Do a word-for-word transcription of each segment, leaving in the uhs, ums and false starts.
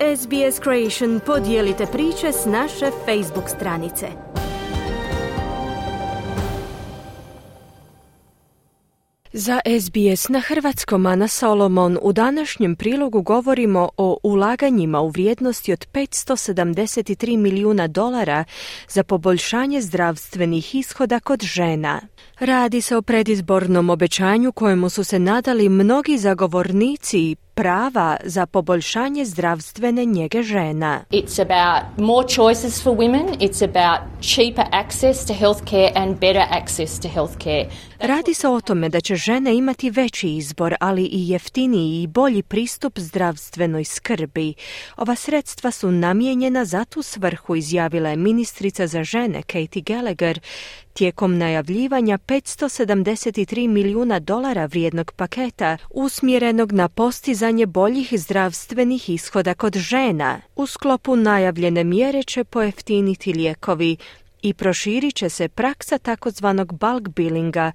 S B S Creation podijelite priče s naše Facebook stranice. Za S B S na hrvatskom Ana Solomon u današnjem prilogu govorimo o ulaganjima u vrijednosti od petsto sedamdeset tri milijuna dolara za poboljšanje zdravstvenih ishoda kod žena. Radi se o predizbornom obećanju kojemu su se nadali mnogi zagovornici prava za poboljšanje zdravstvene njege žena. It's about more choices for women, it's about cheaper access to healthcare and better access to healthcare. Radi se o tome da će žene imati veći izbor, ali i jeftiniji i bolji pristup zdravstvenoj skrbi. Ova sredstva su namijenjena za tu svrhu, izjavila je ministrica za žene Katie Gallagher tijekom najavljivanja petsto sedamdeset tri milijuna dolara vrijednog paketa usmjerenog na postizanje boljih zdravstvenih ishoda kod žena. U sklopu najavljene mjere će pojeftiniti lijekovi i proširit će se praksa takozvanog bulk billinga,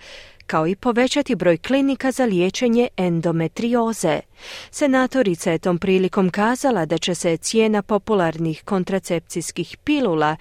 kao i povećati broj klinika za liječenje endometrioze. Senatorica je tom prilikom kazala da će se cijena popularnih kontracepcijskih pilula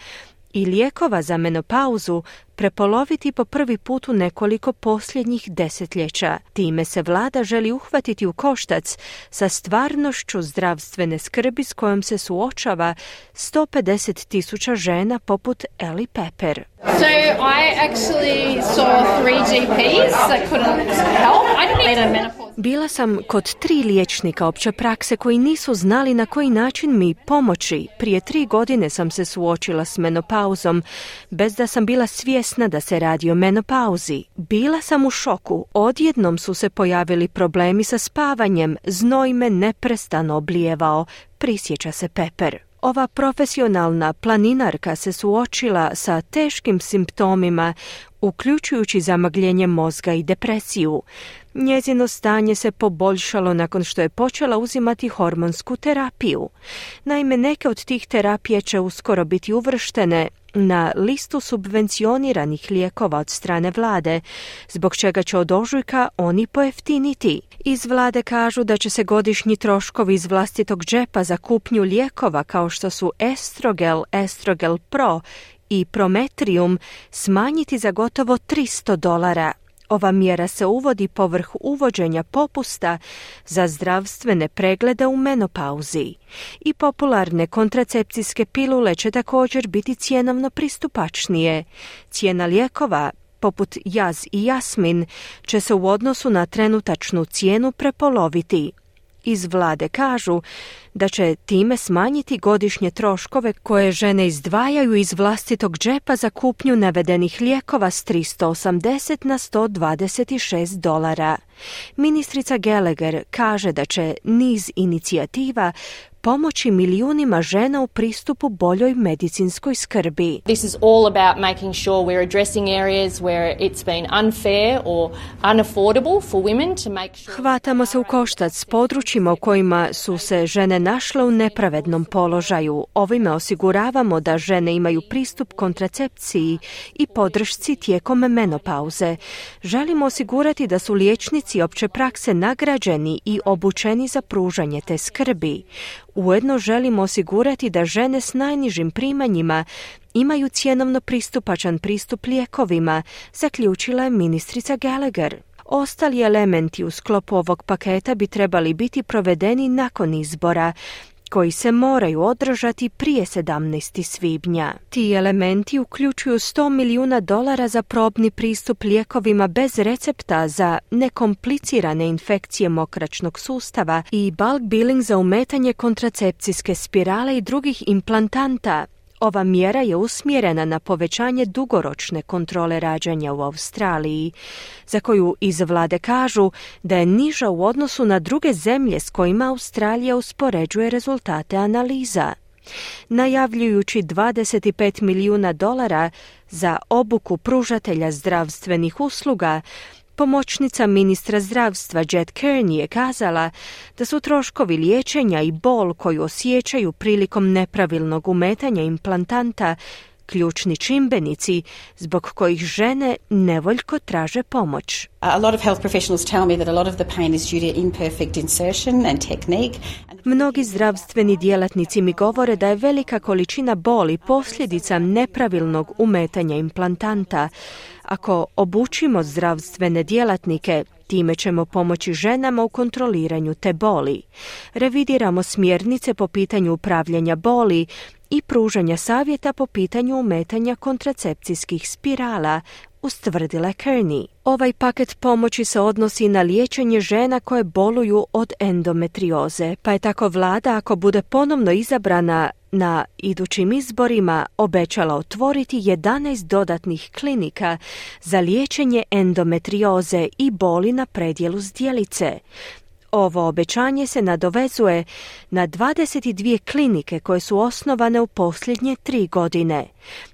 i lijekova za menopauzu prepoloviti po prvi put u nekoliko posljednjih desetljeća. Time se vlada želi uhvatiti u koštac sa stvarnošću zdravstvene skrbi s kojom se suočava sto pedeset tisuća žena poput Ellie Pepper. So I actually saw three G Ps that couldn't help. I didn't need a menopause. Bila sam kod tri liječnika opće prakse koji nisu znali na koji način mi pomoći. Prije tri godine sam se suočila s menopauzom, bez da sam bila svjesna da se radi o menopauzi. Bila sam u šoku. Odjednom su se pojavili problemi sa spavanjem. Znoj me neprestano oblijevao, prisjeća se Pepper. Ova profesionalna planinarka se suočila sa teškim simptomima, uključujući zamagljenje mozga i depresiju. Njezino stanje se poboljšalo nakon što je počela uzimati hormonsku terapiju. Naime, neke od tih terapija će uskoro biti uvrštene na listu subvencioniranih lijekova od strane vlade, zbog čega će od ožujka oni pojeftiniti. Iz vlade kažu da će se godišnji troškovi iz vlastitog džepa za kupnju lijekova kao što su Estrogel, Estrogel Pro i Prometrium smanjiti za gotovo tristo dolara. Ova mjera se uvodi povrh uvođenja popusta za zdravstvene preglede u menopauzi. I popularne kontracepcijske pilule će također biti cjenovno pristupačnije. Cijena lijekova, poput Jaz i Jasmin, će se u odnosu na trenutačnu cijenu prepoloviti. Iz vlade kažu da će time smanjiti godišnje troškove koje žene izdvajaju iz vlastitog džepa za kupnju navedenih lijekova s tristo osamdeset na sto dvadeset šest dolara. Ministrica Gallagher kaže da će niz inicijativa pomoći milijunima žena u pristupu boljoj medicinskoj skrbi. This is all about making sure we're addressing areas where it's been unfair or unaffordable for women to make sure. Hvatamo se u koštac s područjima u kojima su se žene našle u nepravednom položaju. Ovime osiguravamo da žene imaju pristup kontracepciji i podršci tijekom menopauze. Želimo osigurati da su liječnici opće prakse nagrađeni i obučeni za pružanje te skrbi. Ujedno želimo osigurati da žene s najnižim primanjima imaju cjenovno pristupačan pristup lijekovima, zaključila je ministrica Gallagher. Ostali elementi u sklopu ovog paketa bi trebali biti provedeni nakon izbora, koji se moraju održati prije sedamnaestog svibnja. Ti elementi uključuju sto milijuna dolara za probni pristup lijekovima bez recepta za nekomplicirane infekcije mokraćnog sustava i bulk billing za umetanje kontracepcijske spirale i drugih implantanta. Ova mjera je usmjerena na povećanje dugoročne kontrole rađanja u Australiji, za koju iz vlade kažu da je niža u odnosu na druge zemlje s kojima Australija uspoređuje rezultate analiza. Najavljujući dvadeset pet milijuna dolara za obuku pružatelja zdravstvenih usluga, pomoćnica ministra zdravstva Jet Kearney je kazala da su troškovi liječenja i bol koju osjećaju prilikom nepravilnog umetanja implantanta ključni čimbenici zbog kojih žene nevoljko traže pomoć. A lot of health professionals tell me that a lot of the pain is due to imperfect insertion and technique. Mnogi zdravstveni djelatnici mi govore da je velika količina boli posljedica nepravilnog umetanja implantanta. Ako obučimo zdravstvene djelatnike, time ćemo pomoći ženama u kontroliranju te boli. Revidiramo smjernice po pitanju upravljanja boli i pružanja savjeta po pitanju umetanja kontracepcijskih spirala, ustvrdila Kearney. Ovaj paket pomoći se odnosi na liječenje žena koje boluju od endometrioze, pa je tako vlada, ako bude ponovno izabrana na idućim izborima, obećala otvoriti jedanaest dodatnih klinika za liječenje endometrioze i boli na predjelu zdjelice. Ovo obećanje se nadovezuje na dvadeset dvije klinike koje su osnovane u posljednje tri godine.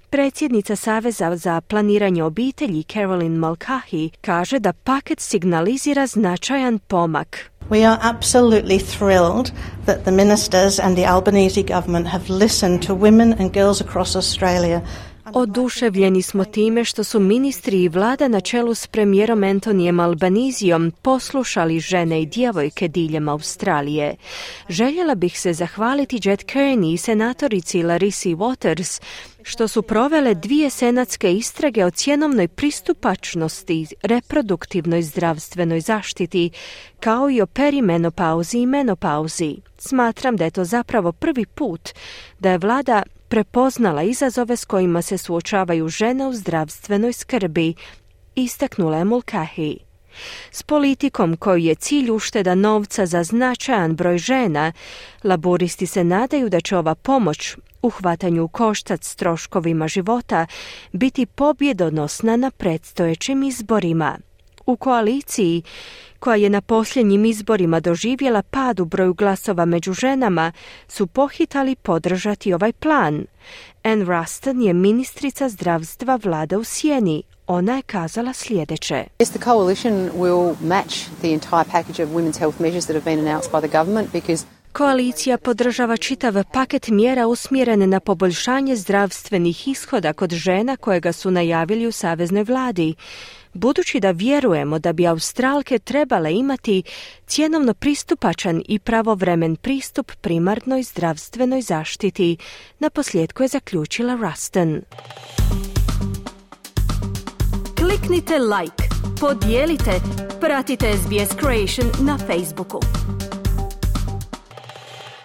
Predsjednica Saveza za planiranje obitelji Carolyn Mulcahy kaže da paket signalizira značajan pomak. We are absolutely thrilled that the ministers and the Albanese government have listened to women and girls across Australia. Oduševljeni smo time što su ministri i vlada na čelu s premijerom Antonijem Albanizijom poslušali žene i djevojke diljem Australije. Željela bih se zahvaliti Jet Kearney i senatorici Larisi Waters što su provele dvije senatske istrage o cjenovnoj pristupačnosti, reproduktivnoj zdravstvenoj zaštiti, kao i o perimenopauzi i menopauzi. Smatram da je to zapravo prvi put da je vlada prepoznala izazove s kojima se suočavaju žene u zdravstvenoj skrbi, istaknula je Mulcahy. S politikom koju je cilj ušteda novca za značajan broj žena, laburisti se nadaju da će ova pomoć u hvatanju u koštac s troškovima života biti pobjedonosna na predstojećim izborima. U koaliciji, koja je na posljednjim izborima doživjela pad u broju glasova među ženama, su pohitali podržati ovaj plan. Ann Ruston je ministrica zdravstva vlade u sjeni. Ona je kazala sljedeće. Yes, the coalition will match the entire package of women's health measures that have been announced by the government because Koalicija podržava čitav paket mjera usmjeren na poboljšanje zdravstvenih ishoda kod žena kojega su najavili u saveznoj vladi. Budući da vjerujemo da bi Australke trebale imati cjenovno pristupačan i pravovremen pristup primarnoj zdravstvenoj zaštiti, naposljetku je zaključila Ruston. Kliknite like, podijelite, pratite S B S Creation na Facebooku.